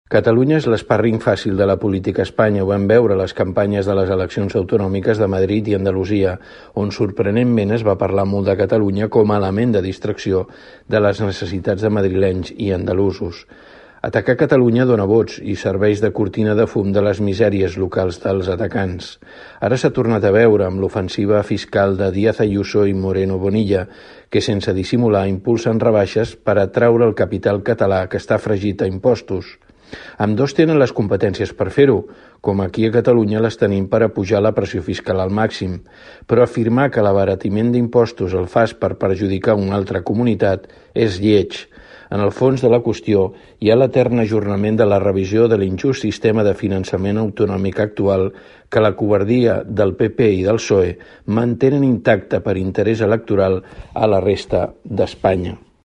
Catalunya és l'espàrring fàcil de la política a Espanya. Ho vam veure a les campanyes de les eleccions autonòmiques de Madrid i Andalusia, on sorprenentment es va parlar molt de Catalunya com a element de distracció de les necessitats de madrilenys i andalusos. Atacar Catalunya dona vots i serveix de cortina de fum de les misèries locals dels atacants. Ara s'ha tornat a veure amb l'ofensiva fiscal de Díaz Ayuso i Moreno Bonilla, que sense dissimular impulsen rebaixes per atraure el capital català que està fregit a impostos. Ambdós tenen les competències per fer-ho, com aquí a Catalunya les tenim per apujar la pressió fiscal al màxim, però afirmar que l'abaratiment d'impostos el fas per perjudicar una altra comunitat és lleig. En el fons de la qüestió hi ha l'etern ajornament de la revisió de l'injust sistema de finançament autonòmic actual que la covardia del PP i del PSOE mantenen intacte per interès electoral a la resta d'Espanya.